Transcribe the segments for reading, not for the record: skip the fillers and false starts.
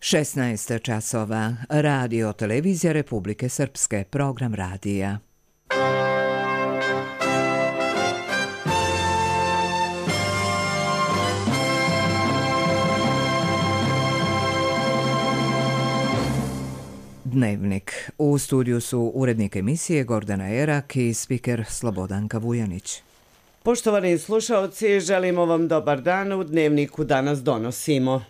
16 časova. Radio Televizija Republike Srpske. Program radija. Dnevnik. U studiju su urednik emisije Gordana Erak i spiker Slobodanka Vujanić. Poštovani slušaoci, želimo vam dobar dan. U Dnevniku danas donosimo: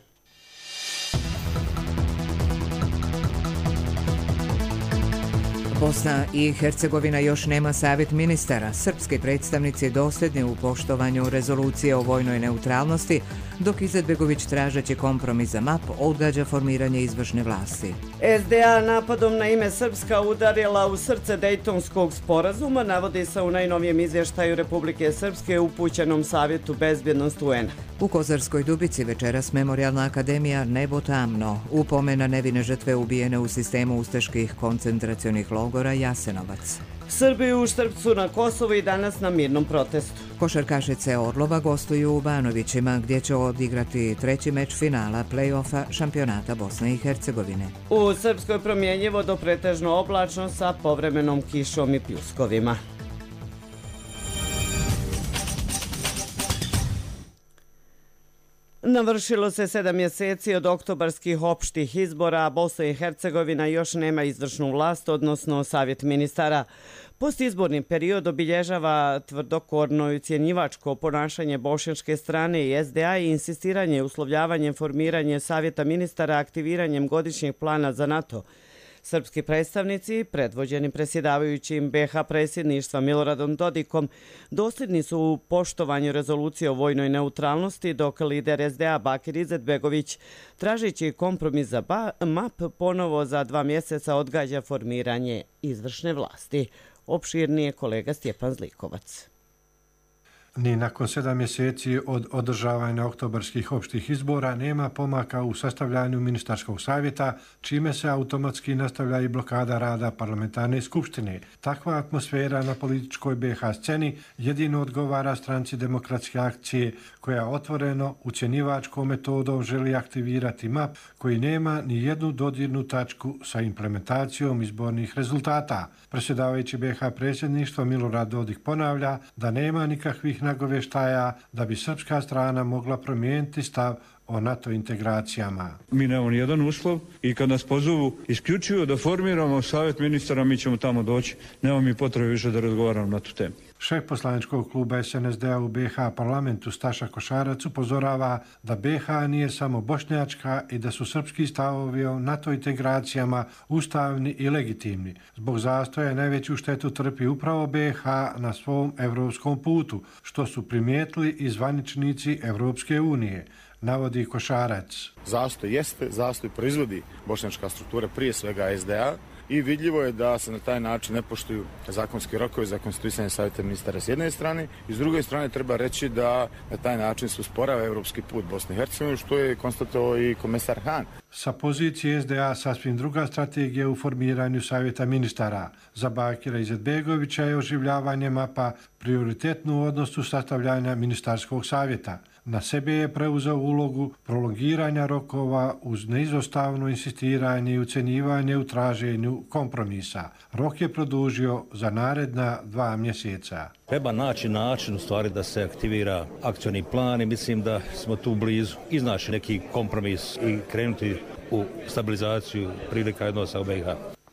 Bosna i Hercegovina još nema savjet ministara. Srpski predstavnici dosljedni u poštovanju rezolucije o vojnoj neutralnosti, dok Izetbegović tražeći kompromis za MAP odgađa formiranje izvršne vlasti. SDA napadom na ime Srpska udarila u srce Dejtonskog sporazuma, navodi se u najnovijem izvještaju Republike Srpske upućenom Savjetu bezbjednosti UN. U Kozarskoj Dubici večeras Memorijalna akademija Nebo tamno, upomena nevine žrtve ubijene u sistemu ustaških koncentracionih logora Jasenovac. Srbi u Štrpcu na Kosovu i danas na mirnom protestu. Košarkašice Orlova gostuju u Banovićima, gdje će odigrati treći meč finala play-offa šampionata Bosne i Hercegovine. U Srpskoj promjenjivo do pretežno oblačno sa povremenom kišom i pljuskovima. Navršilo se 7 mjeseci od oktobarskih opštih izbora, a Bosna i Hercegovina još nema izvršnu vlast, odnosno savjet ministara. Postizborni period obilježava tvrdokorno i ucjenjivačko ponašanje bošnjačke strane i SDA i insistiranje uslovljavanjem formiranje savjeta ministara aktiviranjem godišnjeg plana za NATO. Srpski predstavnici, predvođeni predsjedavajućim BiH predsjedništva Miloradom Dodikom, dosljedni su u poštovanju rezolucije o vojnoj neutralnosti, dok lider SDA Bakir Izetbegović, tražeći kompromis za MAP, ponovo za 2 mjeseca odgađa formiranje izvršne vlasti. Opširnije kolega Stjepan Zlikovac. Ni nakon 7 mjeseci od održavanja oktobarskih opštih izbora nema pomaka u sastavljanju ministarskog savjeta, čime se automatski nastavlja i blokada rada parlamentarne skupštine. Takva atmosfera na političkoj BiH sceni jedino odgovara stranci Demokratske akcije, koja otvoreno ucjenjivačkom metodom želi aktivirati MAP, koji nema ni jednu dodirnu tačku sa implementacijom izbornih rezultata. Predsjedavajući BiH predsjedništva Milorad Dodik ponavlja da nema nikakvih nagovještaja da bi srpska strana mogla promijeniti stav o NATO integracijama. Mi nemamo ni jedan uslov i kad nas pozovu isključivo da formiramo savjet ministara, mi ćemo tamo doći. Nema mi potrebe više da razgovaram na tu temu. Šef poslaničkog kluba SNSD-a u BiH parlamentu Staša Košarac upozorava da BiH nije samo bošnjačka i da su srpski stavovi o NATO integracijama ustavni i legitimni. Zbog zastoja najveću štetu trpi upravo BiH na svom evropskom putu, što su primijetili i zvaničnici Evropske unije, navodi Košarac. Zastoj proizvodi bošnjačka struktura, prije svega SDA, i vidljivo je da se na taj način ne poštuju zakonski rokovi za konstituisanje savjeta ministara s jedne strane i s druge strane treba reći da na taj način se usporava evropski put Bosne i Hercegovine, što je konstatovao i komesar Han. Sa pozicije SDA sasvim druga strategija u formiranju savjeta ministara. Za Bakira Izetbegovića je oživljavanje MAP-a prioritetno u odnosu sastavljanja ministarskog savjeta. Na sebe je preuzeo ulogu prolongiranja rokova uz neizostavno insistiranje i ucjenjivanje u traženju kompromisa. Rok je produžio za naredna 2 mjeseca. Treba naći način u stvari da se aktivira akcioni plan i mislim da smo tu blizu iznaći neki kompromis i krenuti u stabilizaciju prilika odnosa u BiH.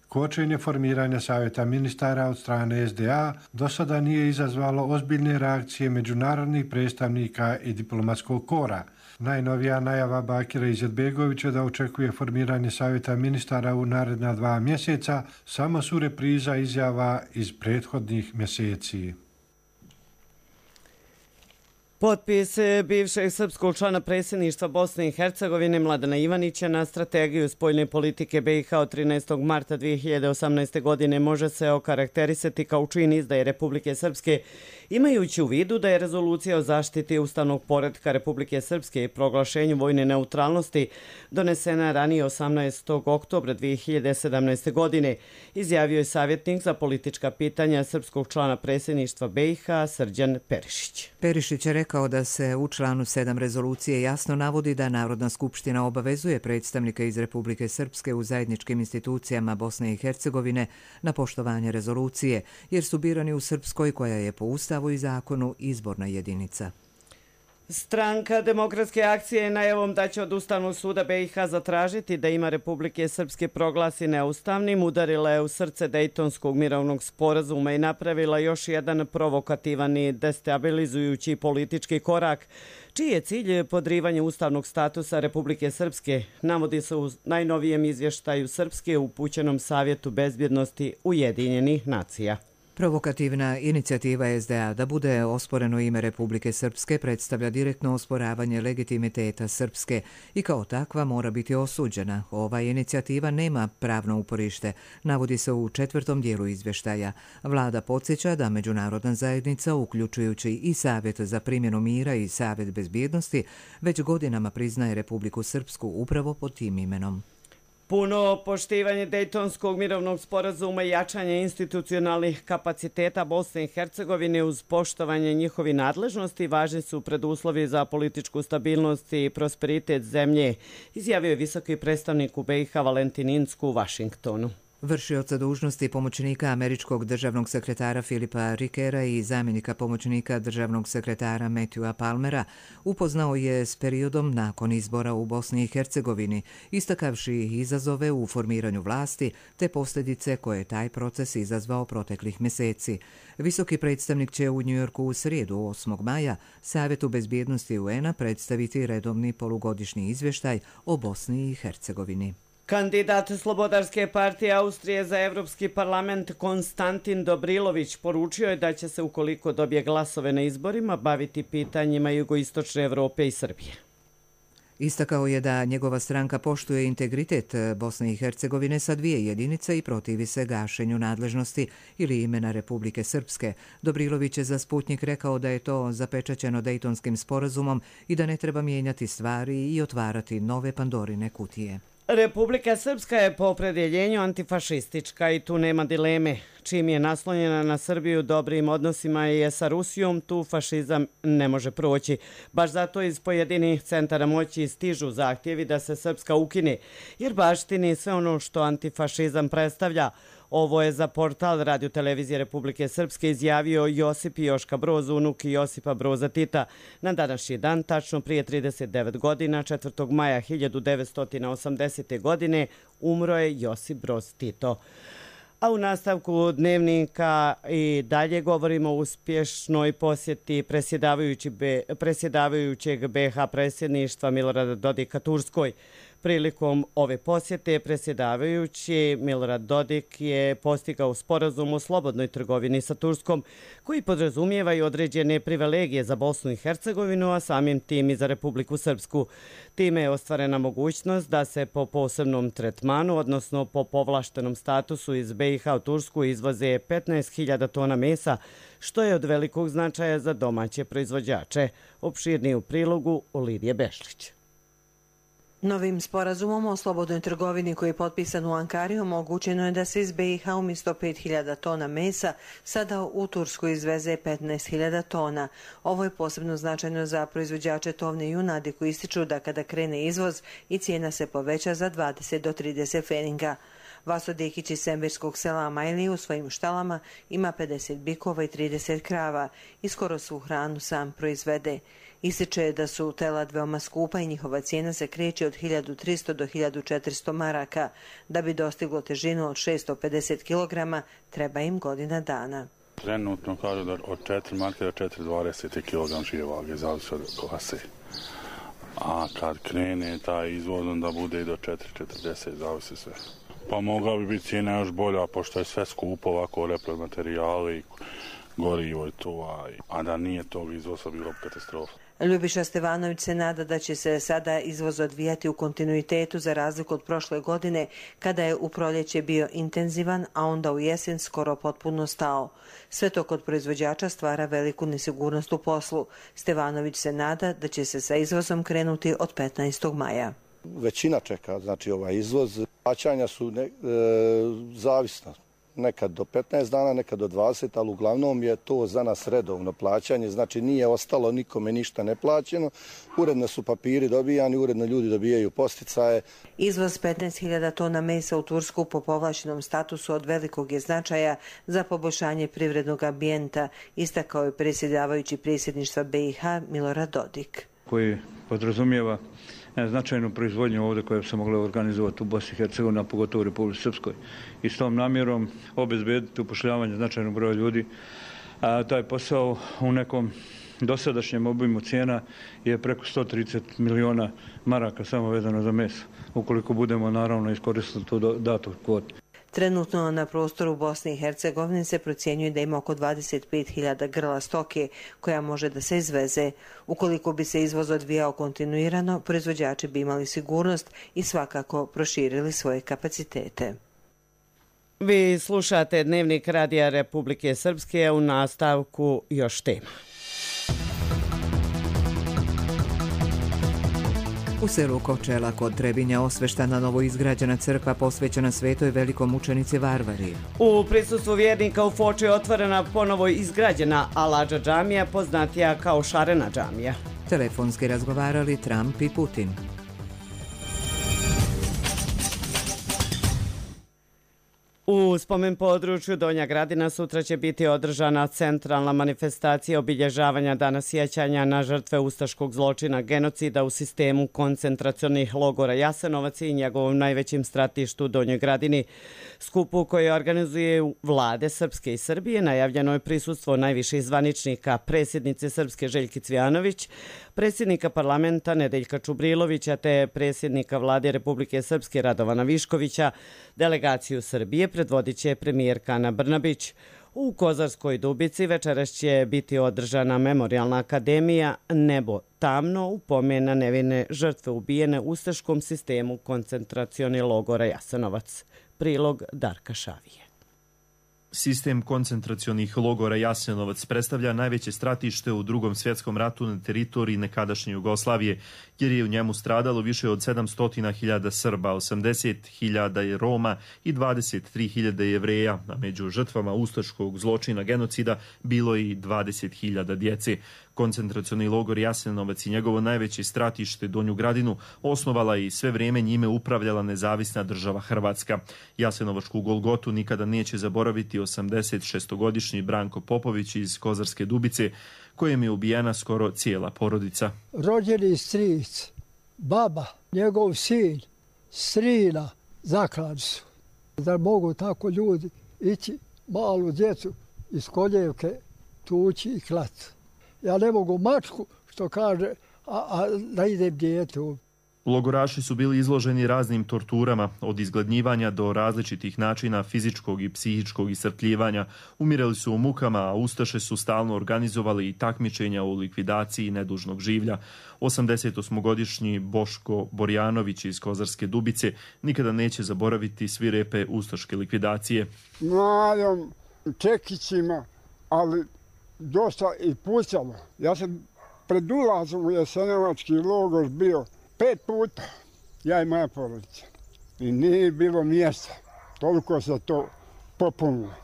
Kočenje formiranja savjeta ministara od strane SDA do sada nije izazvalo ozbiljne reakcije međunarodnih predstavnika i diplomatskog kora. Najnovija najava Bakira Izetbegovića da očekuje formiranje savjeta ministara u naredna 2 mjeseca samo su repriza izjava iz prethodnih mjeseci. Potpis bivšeg srpskog člana predsjedništva Bosne i Hercegovine Mladena Ivanića na strategiju spoljne politike BiH od 13. marta 2018. godine može se okarakterisati kao čin izdaje Republike Srpske Imajući u vidu da je rezolucija o zaštiti ustavnog poretka Republike Srpske i proglašenju vojne neutralnosti donesena ranije 18. oktobra 2017. godine, izjavio je savjetnik za politička pitanja srpskog člana predsjedništva BiH Srđan Perišić. Perišić je rekao da se u članu 7 rezolucije jasno navodi da Narodna skupština obavezuje predstavnike iz Republike Srpske u zajedničkim institucijama Bosne i Hercegovine na poštovanje rezolucije, jer su birani u Srpskoj koja je po Ustavu i zakonu izborna jedinica. Stranka Demokratske akcije je najavom da će od Ustavnog suda BiH zatražiti da ima Republike Srpske proglasi neustavnim, udarila je u srce Dejtonskog mirovnog sporazuma i napravila još jedan provokativan i destabilizujući politički korak, čiji je cilj podrivanje ustavnog statusa Republike Srpske, navodi se u najnovijem izvještaju Srpske upućenom Savjetu bezbjednosti Ujedinjenih nacija. Provokativna inicijativa SDA da bude osporeno ime Republike Srpske predstavlja direktno osporavanje legitimiteta Srpske i kao takva mora biti osuđena. Ova inicijativa nema pravno uporište, navodi se u 4. dijelu izvještaja. Vlada podsjeća da međunarodna zajednica, uključujući i Savjet za primjenu mira i Savjet bezbjednosti, već godinama priznaje Republiku Srpsku upravo pod tim imenom. Puno poštivanje Dejtonskog mirovnog sporazuma i jačanje institucionalnih kapaciteta Bosne i Hercegovine uz poštovanje njihovih nadležnosti važni su preduslovi za političku stabilnost i prosperitet zemlje, izjavio je visoki predstavnik u BiH Valentin Incko u Vašingtonu. Vršioca dužnosti pomoćnika američkog državnog sekretara Filipa Rikera i zamjenika pomoćnika državnog sekretara Matthewa Palmera upoznao je s periodom nakon izbora u Bosni i Hercegovini, istakavši izazove u formiranju vlasti te posljedice koje je taj proces izazvao proteklih mjeseci. Visoki predstavnik će u Njujorku u srijedu 8. maja Savjetu bezbjednosti UN-a predstaviti redovni polugodišnji izvještaj o Bosni i Hercegovini. Kandidat Slobodarske partije Austrije za Evropski parlament Konstantin Dobrilović poručio je da će se, ukoliko dobije glasove na izborima, baviti pitanjima jugoistočne Evrope i Srbije. Istakao je da njegova stranka poštuje integritet Bosne i Hercegovine sa 2 jedinice i protivi se gašenju nadležnosti ili imena Republike Srpske. Dobrilović je za Sputnik rekao da je to zapečaćeno Dejtonskim sporazumom i da ne treba mijenjati stvari i otvarati nove Pandorine kutije. Republika Srpska je po opredjeljenju antifašistička i tu nema dileme. Čim je naslonjena na Srbiju dobrim odnosima i sa Rusijom, tu fašizam ne može proći. Baš zato iz pojedinih centara moći stižu zahtjevi da se Srpska ukine, jer baštini sve ono što antifašizam predstavlja. Ovo je za portal Radio-televizije Republike Srpske izjavio Josip Joška Broz, unuk Josipa Broza Tita. Na današnji dan, tačno prije 39 godina, 4. maja 1980. godine, umro je Josip Broz Tito. A u nastavku dnevnika i dalje govorimo o uspješnoj posjeti predsjedavajućeg BiH predsjedništva Milorada Dodika Turskoj. Prilikom ove posjete predsjedavajući Milorad Dodik je postigao sporazum o slobodnoj trgovini sa Turskom, koji podrazumijeva i određene privilegije za Bosnu i Hercegovinu, a samim tim i za Republiku Srpsku. Time je ostvarena mogućnost da se po posebnom tretmanu, odnosno po povlaštenom statusu iz BiH u Tursku izvoze 15.000 tona mesa, što je od velikog značaja za domaće proizvođače. Opširnije u prilogu Lidije Bešlić. Novim sporazumom o slobodnoj trgovini koji je potpisan u Ankari omogućeno je da se iz BiH umjesto 5.000 tona mesa sada u Tursku izveze 15.000 tona. Ovo je posebno značajno za proizvođače tovne junadi koji ističu da kada krene izvoz i cijena se poveća za 20 do 30 feninga. Vaso Dekić iz Sembirskog sela Amajli u svojim štalama ima 50 bikova i 30 krava i skoro svu hranu sam proizvede. Ističe da su telad veoma skupa i njihova cijena se kreće od 1300 do 1400 maraka. Da bi dostiglo težinu od 650 kg, treba im godina dana. Trenutno kažu da od 4 marke do 420 kg žive vage, zavisi od klase. A kad krene taj izvoz, onda bude i do 440, zavisi sve. Pa mogla bi biti cijena još bolja, pošto je sve skupo ovako, repromaterijali, gorivo i to, a da nije tog izvoza bilo katastrofa. Ljubiša Stevanović se nada da će se sada izvoz odvijati u kontinuitetu za razliku od prošle godine kada je u proljeće bio intenzivan, a onda u jesen skoro potpuno stao. Sve to kod proizvođača stvara veliku nesigurnost u poslu. Stevanović se nada da će se sa izvozom krenuti od 15. maja. Većina čeka, znači ovaj izvoz. Plaćanja su zavisna. Nekad do 15 dana, nekad do 20, ali uglavnom je to za nas redovno plaćanje, znači nije ostalo nikome ništa neplaćeno. Uredno su papiri dobijani, uredno ljudi dobijaju posticaje. Izvoz 15.000 tona mesa u Tursku po povlašenom statusu od velikog je značaja za poboljšanje privrednog ambijenta, istakao je predsjedavajući predsjedništva BiH Milorad Dodik. Koji podrazumijeva značajnu proizvodnju ovdje koja bi se mogla organizovati u Bosni i Hercegovini, a pogotovo u Republici Srpskoj. I s tom namjerom obezbediti upošljavanje značajnog broja ljudi. A taj posao u nekom dosadašnjem obimu cijena je preko 130 miliona maraka samo vezano za meso, ukoliko budemo naravno iskoristili tu datu kvotu. Trenutno na prostoru Bosne i Hercegovine se procjenjuje da ima oko 25.000 grla stoke koja može da se izveze. Ukoliko bi se izvoz odvijao kontinuirano, proizvođači bi imali sigurnost i svakako proširili svoje kapacitete. Vi slušate Dnevnik Radija Republike Srpske, u nastavku još tema. U selu Kočela kod Trebinja osveštana novoizgrađena crkva posvećena svetoj velikomučenici Varvari. U prisustvu vjernika u Foči je otvorena ponovo izgrađena Aladža džamija, poznatija kao Šarena džamija. Telefonski razgovarali Trump i Putin. U spomen području Donja Gradina sutra će biti održana centralna manifestacija obilježavanja dana sjećanja na žrtve ustaškog zločina genocida u sistemu koncentracionih logora Jasenovac i njegovom najvećim stratištu Donjoj Gradini. Skupu koji organizuje vlade Srpske i Srbije najavljeno je prisustvo najviših zvaničnika, predsjednice Srpske Željke Cvijanović, predsjednika parlamenta Nedeljka Čubrilovića te predsjednika vlade Republike Srpske Radovana Viškovića. Delegaciju Srbije predvodit će premijerka Ana Brnabić. U Kozarskoj Dubici večeras će biti održana memorijalna akademija Nebo tamno u pomen na nevine žrtve ubijene u ustaškom sistemu koncentracioni logora Jasenovac. Prilog Darka Šavije. Sistem koncentracionih logora Jasenovac predstavlja najveće stratište u Drugom svjetskom ratu na teritoriji nekadašnje Jugoslavije, jer je u njemu stradalo više od 700.000 Srba, 80.000 Roma i 23.000 Jevreja, a među žrtvama ustaškog zločina genocida bilo i 20.000 djece. Koncentracioni logor Jasenovac i njegovo najveće stratište Donju Gradinu osnovala i sve vrijeme njime upravljala nezavisna država Hrvatska. Jasenovačku Golgotu nikada neće zaboraviti 86-godišnji Branko Popović iz Kozarske Dubice, kojem je ubijena skoro cijela porodica. Rođeni stric, baba, njegov sin, strina, zaklali su. Da mogu tako ljudi ići malu djecu iz koljevke tući i klati. Ja ne mogu mačku, što kaže, a da idem djetu. Logoraši su bili izloženi raznim torturama, od izgladnjivanja do različitih načina fizičkog i psihičkog iscrpljivanja. Umirali su u mukama, a ustaše su stalno organizovali i takmičenja u likvidaciji nedužnog življa. 88-godišnji Boško Borjanović iz Kozarske Dubice nikada neće zaboraviti svirepe ustaške likvidacije. Mladom čekićima, ali dosta i pucalo. Ja sam pred ulazom u Jasenovački logor bio 5 puta, ja i moja porodica. I nije bilo mjesta. Toliko se to popunilo.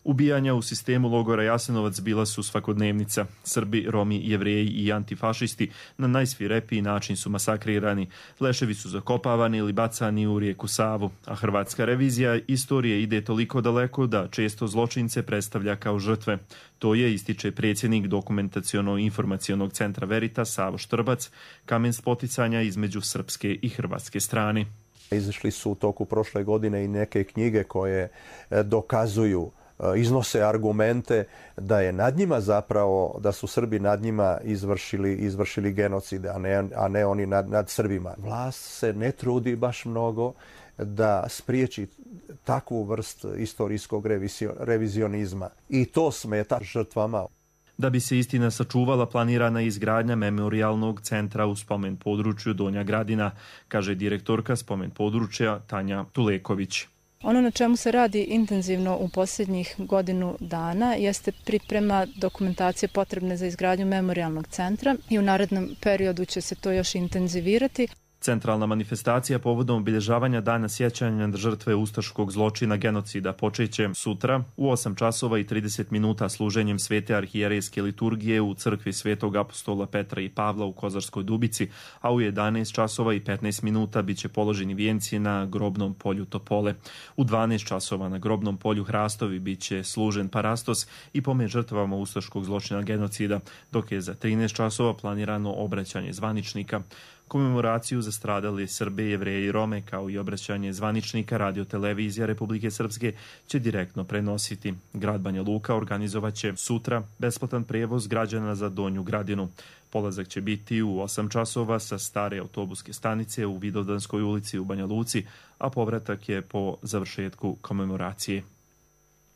Ubijanja u sistemu logora Jasenovac bila su svakodnevnica. Srbi, Romi, Jevreji i antifašisti na najsvirepiji način su masakrirani. Leševi su zakopavani ili bacani u rijeku Savu, a hrvatska revizija istorije ide toliko daleko da često zločince predstavlja kao žrtve. To je, ističe predsjednik Dokumentaciono-informacionog centra Veritas Savo Štrbac, kamen spoticanja između srpske i hrvatske strane. Izašli su u toku prošle godine i neke knjige koje dokazuju, iznose argumente da je nad njima zapravo, da su Srbi nad njima izvršili genocide, a ne oni nad Srbima. Vlast se ne trudi baš mnogo da spriječi takvu vrst istorijskog revizionizma. I to smeta žrtvama. Da bi se istina sačuvala, planirana je izgradnja memorijalnog centra u spomen području Donja Gradina, kaže direktorka spomen područja Tanja Tuleković. Ono na čemu se radi intenzivno u posljednjih godinu dana jeste priprema dokumentacije potrebne za izgradnju memorijalnog centra i u narednom periodu će se to još intenzivirati. Centralna manifestacija povodom obilježavanja dana sjećanja na žrtve ustaškog zločina genocida počeće sutra u 8 časova i 30 minuta služenjem svete arhijerejske liturgije u crkvi Svetog apostola Petra i Pavla u Kozarskoj Dubici, a u 11 časova i 15 minuta biće položeni vijenci na grobnom polju Topole. U 12 časova na grobnom polju Hrastovi biće služen parastos i pomen žrtvama ustaškog zločina genocida, dok je za 13 časova planirano obraćanje zvaničnika. Komemoraciju za stradale Srbe, Jevreje i Rome, kao i obraćanje zvaničnika Radio-televizija Republike Srpske će direktno prenositi. Grad Banja Luka organizovat će sutra besplatan prevoz građana za Donju Gradinu. Polazak će biti u 8 časova sa stare autobuske stanice u Vidovdanskoj ulici u Banja Luci, a povratak je po završetku komemoracije.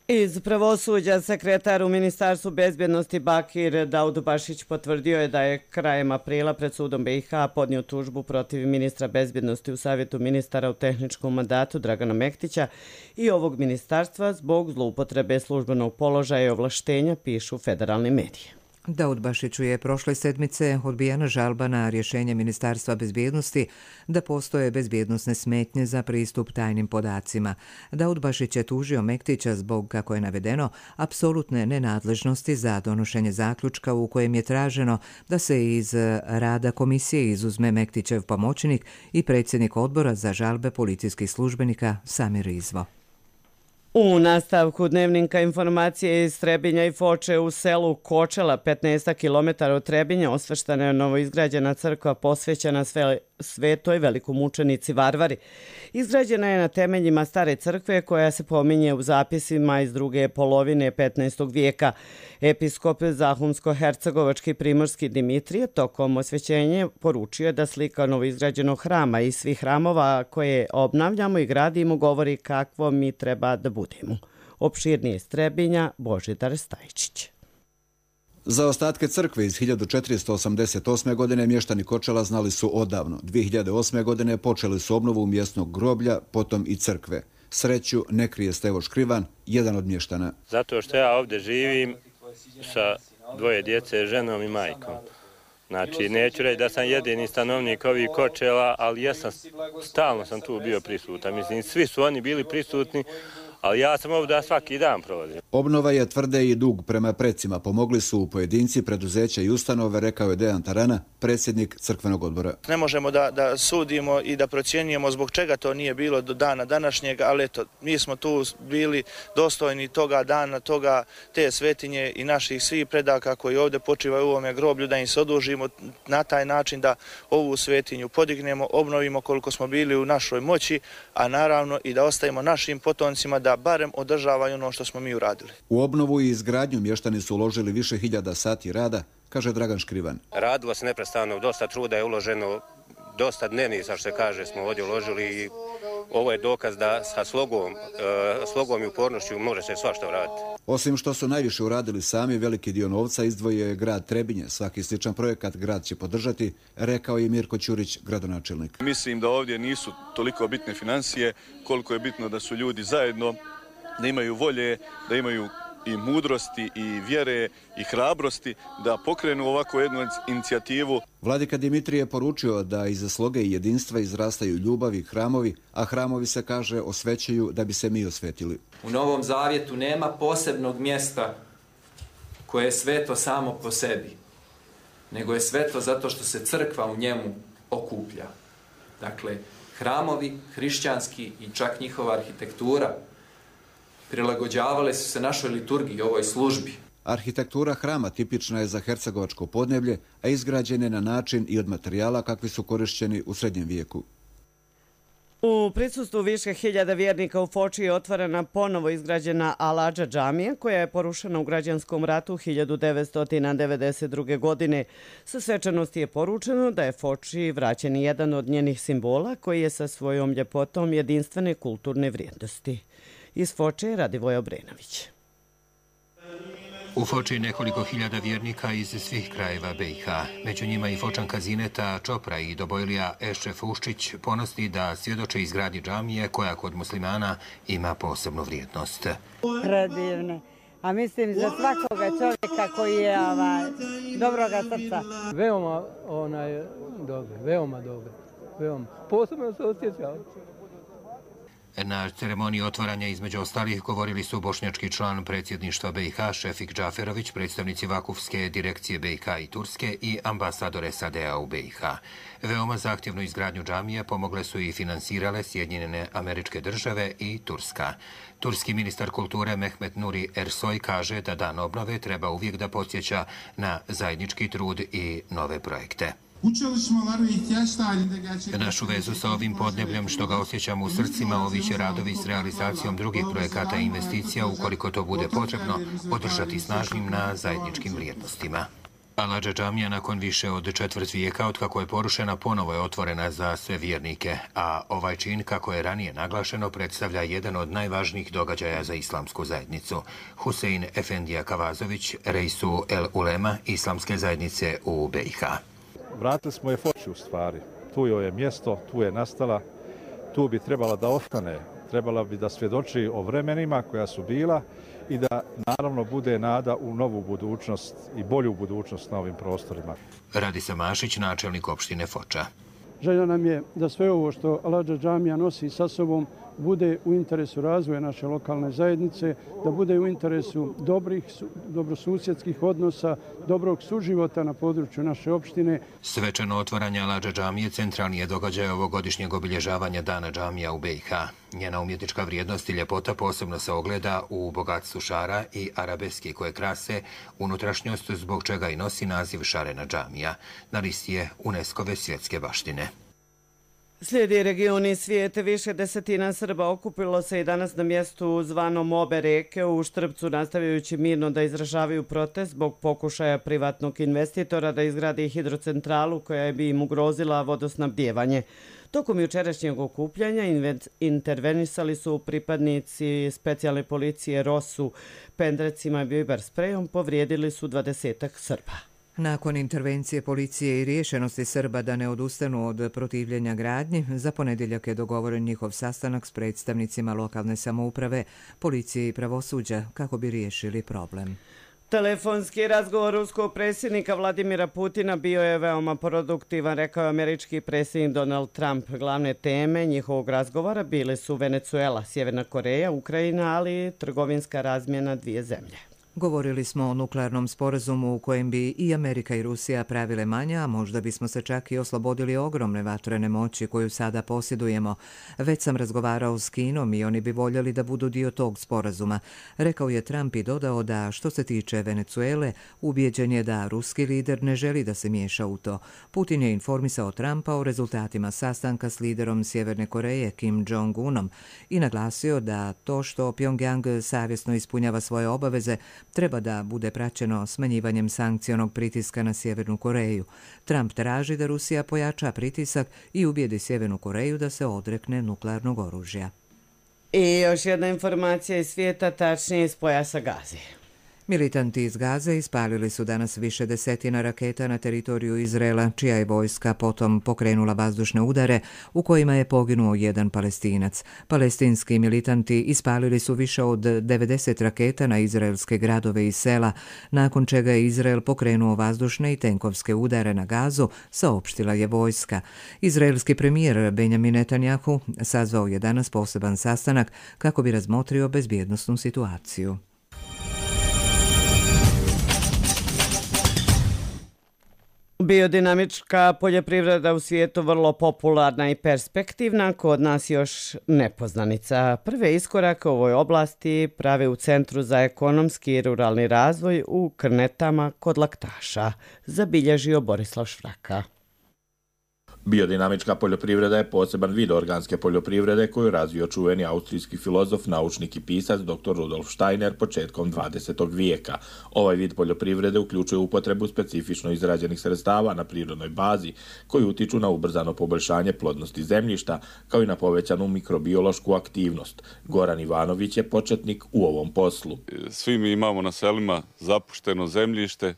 Iz pravosuđa sekretar u Ministarstvu bezbjednosti Bakir Daudbašić potvrdio je da je krajem aprila pred sudom BiH podnio tužbu protiv ministra bezbjednosti u Savjetu ministara u tehničkom mandatu Dragana Mektića i ovog ministarstva zbog zloupotrebe službenog položaja i ovlaštenja, pišu federalni mediji. Daudbašiću je prošle sedmice odbijena žalba na rješenje Ministarstva bezbjednosti da postoje bezbjednosne smetnje za pristup tajnim podacima. Daudbašić je tužio Mektića zbog, kako je navedeno, apsolutne nenadležnosti za donošenje zaključka u kojem je traženo da se iz rada komisije izuzme Mektićev pomoćnik i predsjednik odbora za žalbe policijskih službenika Samir Izvo. U nastavku dnevnika informacije iz Trebinja i Foče u selu Kočela, 15 km od Trebinja, osvrštana je novoizgrađena crkva posvećena Svetoj velikomučenici Varvari. Izgrađena je na temeljima stare crkve koja se pominje u zapisima iz druge polovine 15. vijeka. Episkop Zahumsko-hercegovački primorski Dimitrije tokom osvećenja poručio da slika novoizgrađenog hrama i svih hramova koje obnavljamo i gradimo govori kakvo mi treba da budemo. Opširnije iz Trebinja, Božidar Stajčić. Za ostatke crkve iz 1488. godine mještani Kočela znali su odavno. 2008. godine počeli su obnovu mjesnog groblja, potom i crkve. Sreću ne krije Stevo Škrivan, jedan od mještana. Zato što ja ovdje živim sa dvoje djece, ženom i majkom. Znači, neću reći da sam jedini stanovnik ovih Kočela, ali ja stalno sam tu bio prisutan. Mislim, svi su oni bili prisutni, ali ja sam ovdje svaki dan provodim. Obnova je tvrde i dug prema precima. Pomogli su pojedinci, preduzeća i ustanove, rekao je Dejan Tarana, predsjednik crkvenog odbora. Ne možemo da sudimo i da procjenjujemo zbog čega to nije bilo do dana današnjeg, ali eto, mi smo tu bili dostojni toga dana, te svetinje i naših svih predaka koji ovdje počivaju u ovome groblju, da im se odužimo na taj način da ovu svetinju podignemo, obnovimo koliko smo bili u našoj moći, a naravno i da ostavimo našim potomcima da barem održavaju ono što smo mi uradili. U obnovu i izgradnju mještani su uložili više hiljada sati rada, kaže Dragan Škrivan. Radilo se neprestano, dosta truda je uloženo, dosta dnevnica, što se kaže, smo ovdje uložili i ovo je dokaz da sa slogom i upornošću može se svašta uraditi. Osim što su najviše uradili sami, veliki dio novca izdvojio je grad Trebinje. Svaki sličan projekat grad će podržati, rekao je Mirko Ćurić, gradonačelnik. Mislim da ovdje nisu toliko bitne financije, koliko je bitno da su ljudi zajedno, da imaju volje, da imaju i mudrosti i vjere i hrabrosti da pokrenu ovako jednu inicijativu. Vladika Dimitrije je poručio da iza sloge i jedinstva izrastaju ljubav i hramovi, a hramovi se, kaže, osvećaju da bi se mi osvetili. U Novom Zavjetu nema posebnog mjesta koje je sveto samo po sebi, nego je sveto zato što se crkva u njemu okuplja. Dakle, hramovi, hrišćanski i čak njihova arhitektura prilagođavale su se našoj liturgiji, ovoj službi. Arhitektura hrama tipična je za hercegovačko podneblje, a izgrađen je na način i od materijala kakvi su korišćeni u srednjem vijeku. U prisustvu više hiljada vjernika u Foči je otvorena ponovo izgrađena Al-Adža džamija koja je porušena u građanskom ratu 1992. godine. Sa svečanosti je poručeno da je Foči vraćen jedan od njenih simbola koji je sa svojom ljepotom jedinstvene kulturne vrijednosti. Iz Foče Radivoj Obrenović. U Foči nekoliko hiljada vjernika iz svih krajeva BiH. Među njima i Fočanka Zineta Čopra i Dobojlija Ešref Uščić ponosni da svjedoče izgradnji džamije koja kod muslimana ima posebnu vrijednost. Predivne. A mislim za svakoga čovjeka koji je dobroga srca. Veoma dobro, veoma dobro. Posebno se osjećao. Na ceremoniji otvaranja između ostalih govorili su bošnjački član predsjedništva BiH Šefik Džaferović, predstavnici Vakufske direkcije BiH i Turske i ambasador SAD-a u BiH. Veoma zahtjevnu izgradnju džamije pomogle su i finansirale Sjedinjene Američke Države i Turska. Turski ministar kulture Mehmet Nuri Ersoy kaže da dan obnove treba uvijek da podsjeća na zajednički trud i nove projekte. Našu vezu sa ovim podnebljem što ga osjećamo u srcima, ovi će radovi s realizacijom drugih projekata i investicija, ukoliko to bude potrebno, održati snažnim na zajedničkim vrijednostima. Al-Adža džamija nakon više od četvrt vijeka od kako je porušena ponovo je otvorena za sve vjernike, a ovaj čin, kako je ranije naglašeno, predstavlja jedan od najvažnijih događaja za islamsku zajednicu. Husein Efendija Kavazović, Reisu El Ulema islamske zajednice u BiH. Vratili smo je Foči u stvari. Tu joj je mjesto, tu je nastala, tu bi trebala da ostane. Trebala bi da svjedoči o vremenima koja su bila i da naravno bude nada u novu budućnost i bolju budućnost na ovim prostorima. Radisa Mašić, načelnik opštine Foča. Želja nam je da sve ovo što Al-Adža džamija nosi sa sobom bude u interesu razvoja naše lokalne zajednice, da bude u interesu dobrosusjedskih odnosa, dobrog suživota na području naše opštine. Svečano otvaranje Al-Adža džamije centralni je događaj ovogodišnjeg obilježavanja Dana džamija u BiH. Njena umjetnička vrijednost i ljepota posebno se ogleda u bogatstvu šara i arabeski koje krase unutrašnjost, zbog čega i nosi naziv Šarena džamija. Na listi je UNESCO-ve svjetske baštine. Slijedi regioni svijete. Više desetina Srba okupilo se i danas na mjestu zvanom Obe reke u Štrbcu, nastavljajući mirno da izražavaju protest zbog pokušaja privatnog investitora da izgradi hidrocentralu koja bi im ugrozila vodosnabdijevanje. Tokom jučerašnjeg okupljanja intervenisali su pripadnici specijalne policije ROSU. Pendrecima i biber sprejom povrijedili su 20-ak Srba. Nakon intervencije policije i riješenosti Srba da ne odustanu od protivljenja gradnji, za ponedjeljak je dogovoren njihov sastanak s predstavnicima lokalne samouprave, policije i pravosuđa kako bi riješili problem. Telefonski razgovor ruskog predsjednika Vladimira Putina bio je veoma produktivan, rekao je američki predsjednik Donald Trump. Glavne teme njihovog razgovora bile su Venezuela, Sjeverna Koreja, Ukrajina, ali i trgovinska razmjena dvije zemlje. Govorili smo o nuklearnom sporazumu u kojem bi i Amerika i Rusija pravile manje, a možda bismo se čak i oslobodili ogromne vatrene moći koju sada posjedujemo. Već sam razgovarao s Kinom i oni bi voljeli da budu dio tog sporazuma. Rekao je Trump i dodao da što se tiče Venezuele, ubijeđen je da ruski lider ne želi da se miješa u to. Putin je informisao Trumpa o rezultatima sastanka s liderom Sjeverne Koreje Kim Jong-unom i naglasio da to što Pyongyang savjesno ispunjava svoje obaveze treba da bude praćeno smanjivanjem sankcionog pritiska na Sjevernu Koreju. Trump traži da Rusija pojača pritisak i ubijedi Sjevernu Koreju da se odrekne nuklearnog oružja. I još jedna informacija iz svijeta, tačnije iz pojasa Gaze. Militanti iz Gaze ispalili su danas više desetina raketa na teritoriju Izraela, čija je vojska potom pokrenula vazdušne udare u kojima je poginuo jedan Palestinac. Palestinski militanti ispalili su više od 90 raketa na izraelske gradove i sela, nakon čega je Izrael pokrenuo vazdušne i tenkovske udare na Gazu, saopštila je vojska. Izraelski premijer Benjamin Netanjahu sazvao je danas poseban sastanak kako bi razmotrio bezbjednosnu situaciju. Biodinamička poljoprivreda u svijetu vrlo popularna i perspektivna, kod nas još nepoznanica. Prve iskorake u ovoj oblasti prave u Centru za ekonomski i ruralni razvoj u Krnetama kod Laktaša, zabilježio Borislav Švraka. Biodinamička poljoprivreda je poseban vid organske poljoprivrede koju razvio čuveni austrijski filozof, naučnik i pisac dr. Rudolf Steiner početkom 20. vijeka. Ovaj vid poljoprivrede uključuje upotrebu specifično izrađenih sredstava na prirodnoj bazi koji utiču na ubrzano poboljšanje plodnosti zemljišta kao i na povećanu mikrobiološku aktivnost. Goran Ivanović je početnik u ovom poslu. Svi mi imamo na selima zapušteno zemljište,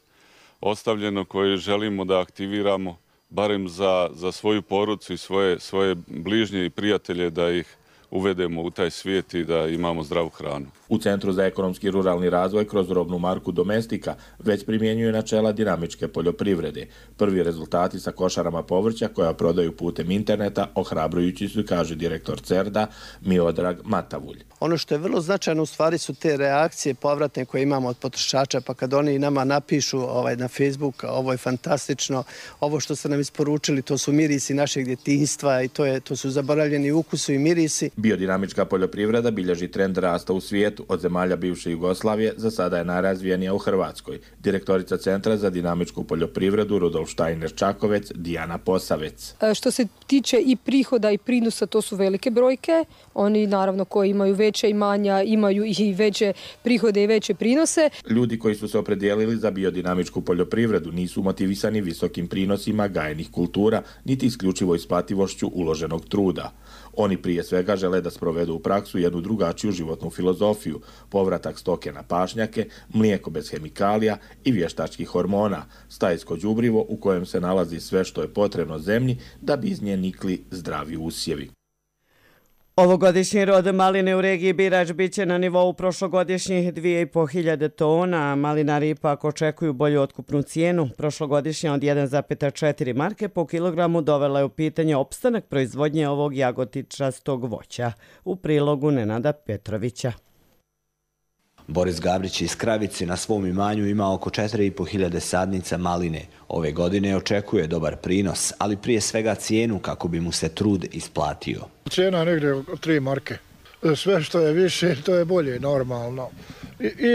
ostavljeno koje želimo da aktiviramo barem za svoju porodcu i svoje bližnje i prijatelje da ih uvedemo u taj svijet i da imamo zdravu hranu. U Centru za ekonomski i ruralni razvoj kroz robnu marku Domestika već primjenjuje načela dinamičke poljoprivrede. Prvi rezultati sa košarama povrća koja prodaju putem interneta ohrabrujući su, kaže direktor CERDA Miodrag Matavulj. Ono što je vrlo značajno u stvari su te reakcije povratne koje imamo od potrošača, pa kad oni nama napišu na Facebook, ovo je fantastično, ovo što ste nam isporučili, to su mirisi našeg djetinjstva i to su zaboravljeni ukusi i mirisi. Biodinamička poljoprivreda bilježi trend rasta u svijetu. Od zemalja bivše Jugoslavije za sada je najrazvijenija u Hrvatskoj. Direktorica Centra za dinamičku poljoprivredu Rudolf Steiner Čakovec, Dijana Posavec. Što se tiče i prihoda i prinosa, to su velike brojke. Oni naravno koji imaju veće imanja imaju i veće prihode i veće prinose. Ljudi koji su se opredijelili za biodinamičku poljoprivredu nisu motivisani visokim prinosima gajenih kultura, niti isključivo isplativošću uloženog truda. Oni prije svega žele da sprovedu u praksu jednu drugačiju životnu filozofiju, povratak stoke na pašnjake, mlijeko bez hemikalija i vještačkih hormona, stajsko đubrivo u kojem se nalazi sve što je potrebno zemlji da bi iz nje nikli zdravi usjevi. Ovogodišnji rod maline u regiji Birač biće na nivou prošlogodišnjih 2500 tona. Malinari ipak očekuju bolju otkupnu cijenu. Prošlogodišnja od 1,4 marke po kilogramu dovela je u pitanje opstanak proizvodnje ovog jagotičastog voća. U prilogu Nenada Petrovića. Boris Gabrić iz Kravice na svom imanju ima oko 4500 sadnica maline. Ove godine očekuje dobar prinos, ali prije svega cijenu kako bi mu se trud isplatio. Cijena je negdje 3 marke. Sve što je više, to je bolje, normalno.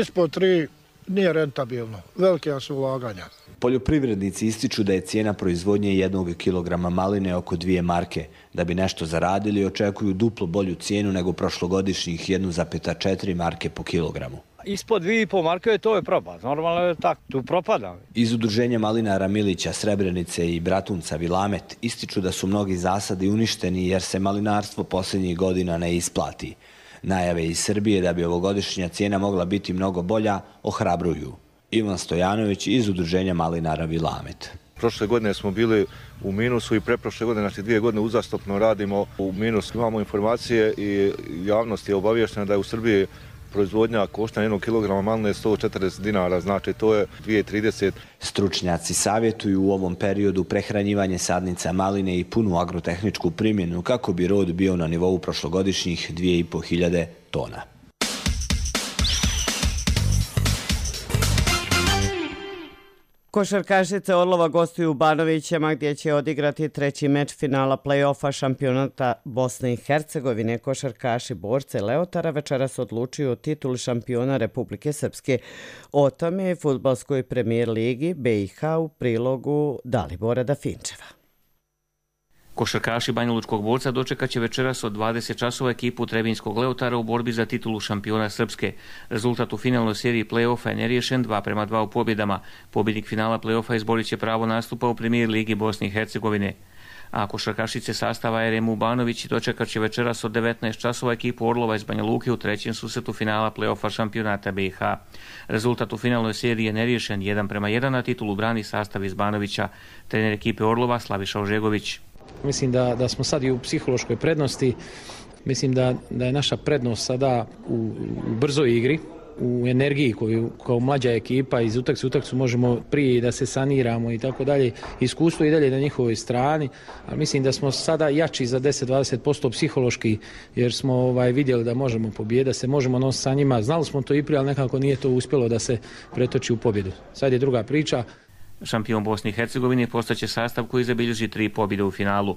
Ispod 3 nije rentabilno. Velike su ulaganja. Poljoprivrednici ističu da je cijena proizvodnje 1 kilograma maline oko 2 marke. Da bi nešto zaradili, očekuju duplo bolju cijenu nego prošlogodišnjih 1,4 marke po kilogramu. Ispod 2,5 marke to je propad. Normalno je tako, tu propada. Iz udruženja malinara Milića, Srebrenice i Bratunca Vilamet ističu da su mnogi zasadi uništeni jer se malinarstvo posljednjih godina ne isplati. Najave iz Srbije da bi ovogodišnja cijena mogla biti mnogo bolja ohrabruju. Ivan Stojanović iz udruženja malinara Vilamet. Prošle godine smo bili u minusu i preprošle godine, znači 2 godine uzastopno radimo u minusu. Imamo informacije i javnost je obavještena da je u Srbiji proizvodnja koštanja 1 kg maline 140 dinara, znači to je 2,30. Stručnjaci savjetuju u ovom periodu prehranjivanje sadnica maline i punu agrotehničku primjenu kako bi rod bio na nivou prošlogodišnjih 2500 tona. Košarkašice Orlova gostuju u Banovićima gdje će odigrati treći meč finala play-offa šampionata Bosne i Hercegovine. Košarkaši borce Leotara večeras odlučuju o tituli šampiona Republike Srpske. O tome je fudbalskoj premijer ligi BiH u prilogu Dalibora Dafinčeva. Košarkaši Banjalučkog borca dočekat će večeras od 20 časova ekipu Trebinjskog Leotara u borbi za titulu šampiona Srpske. Rezultat u finalnoj seriji play-offa je neriješen 2:2 u pobjedama. Pobjednik finala play-offa izborit će pravo nastupa u premijer ligi Bosne i Hercegovine. A košarkašice sastava RMU Banović dočekat će večeras od 19 časova ekipu Orlova iz Banja Luke u trećem susretu finala play-offa šampionata BiH. Rezultat u finalnoj seriji je neriješen 1:1, na titulu brani sastav iz Banovića. Trener ekipe Orlova Slaviša Ožegović. Mislim da smo sad i u psihološkoj prednosti. Mislim da je naša prednost sada u brzoj igri, u energiji koju kao mlađa ekipa iz utakmice u utakmicu možemo prije da se saniramo i tako dalje. Iskustvo i dalje na njihovoj strani, ali mislim da smo sada jači za 10-20% psihološki jer smo vidjeli da možemo pobijediti, da se možemo nositi sa njima. Znali smo to i prije, ali nekako nije to uspjelo da se pretoči u pobjedu. Sad je druga priča. Šampion Bosne i Hercegovine postaće sastav koji zabilježi 3 pobjede u finalu.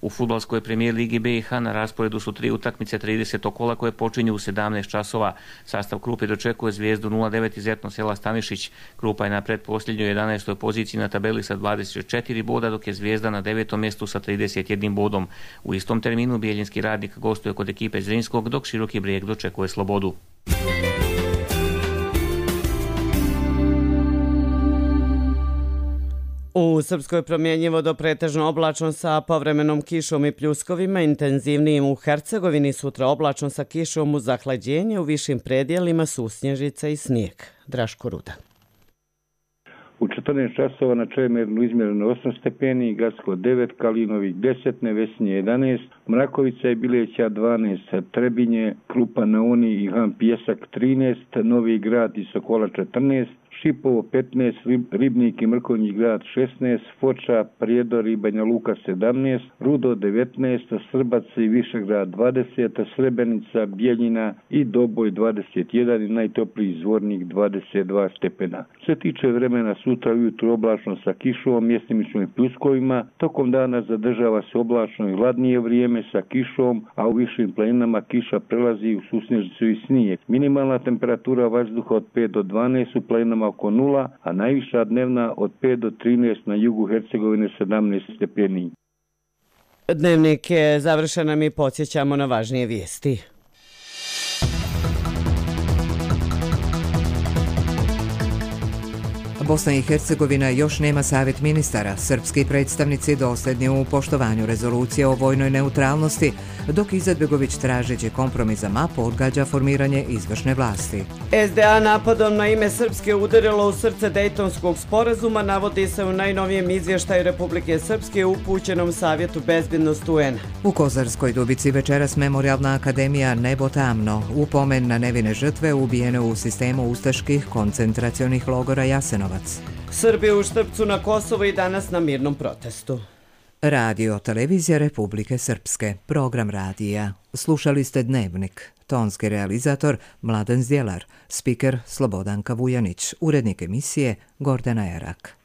U fudbalskoj premijer ligi BiH na rasporedu su 3 utakmice 30. kola koje počinju u 17 časova. Sastav Krupe dočekuje Zvijezdu 0-9 iz Etno sela Stanišić. Krupa je na pretposljednjoj 11. poziciji na tabeli sa 24 boda, dok je Zvijezda na 9. mjestu sa 31 bodom. U istom terminu Bijeljinski Radnik gostuje kod ekipe Zrinskog, dok Široki Brijeg dočekuje Slobodu. U Srpskoj promjenjivo do pretežno oblačno sa povremenom kišom i pljuskovima, intenzivnijim u Hercegovini, sutra oblačno sa kišom uz zahlađenje, u višim predjelima susnježica i snijeg. Draško Ruda. U 14 časova na Čemernu izmjereno 8 stepeni, Gacko 9, Kalinovik 10, Nevesinje 11, Mrakovica i Bileća 12, Trebinje, Krupa na Uni i Han Pjesak 13, Novi Grad i Sokola 14, Šipovo 15, Ribnik i Mrkonjić Grad 16, Foča, Prijedor i Banja Luka 17, Rudo 19, Srbac i Višegrad 20, Srebrenica, Bijeljina i Doboj 21 i najtopliji Zvornik 22 stepena. Što se tiče vremena, sutra ujutro oblačno sa kišom, mjestimično i pljuskovima, tokom dana zadržava se oblačno i hladnije vrijeme sa kišom, a u višim planinama kiša prelazi u susnježicu i snijeg. Minimalna temperatura vazduha od 5 do 12 u planinama oko 0, a najviša dnevna od 5 do 13 na jugu Hercegovine 17 stepeni. Dnevnik je završen, a mi podsjećamo na važnije vijesti. Bosna i Hercegovina još nema savjet ministara. Srpski predstavnici dosljedni u poštovanju rezolucije o vojnoj neutralnosti, dok Izetbegović tražeći kompromis za mapu odgađa formiranje izvršne vlasti. SDA napadom na ime Srpske udarilo u srce Dejtonskog sporazuma, navodi se u najnovijem izvještaju Republike Srpske upućenom Savjetu bezbednosti UN. U Kozarskoj Dubici večeras Memorijalna akademija Nebo tamno, upomen na nevine žrtve ubijene u sistemu ustaških koncentracionih logora Jasenovac. Srbi u Štrpcu na Kosovo i danas na mirnom protestu. Radio Televizija Republike Srpske, program radija. Slušali ste Dnevnik. Tonski realizator Mladen Zdjelar, spiker Slobodanka Vujanić, urednik emisije Gordana Erak.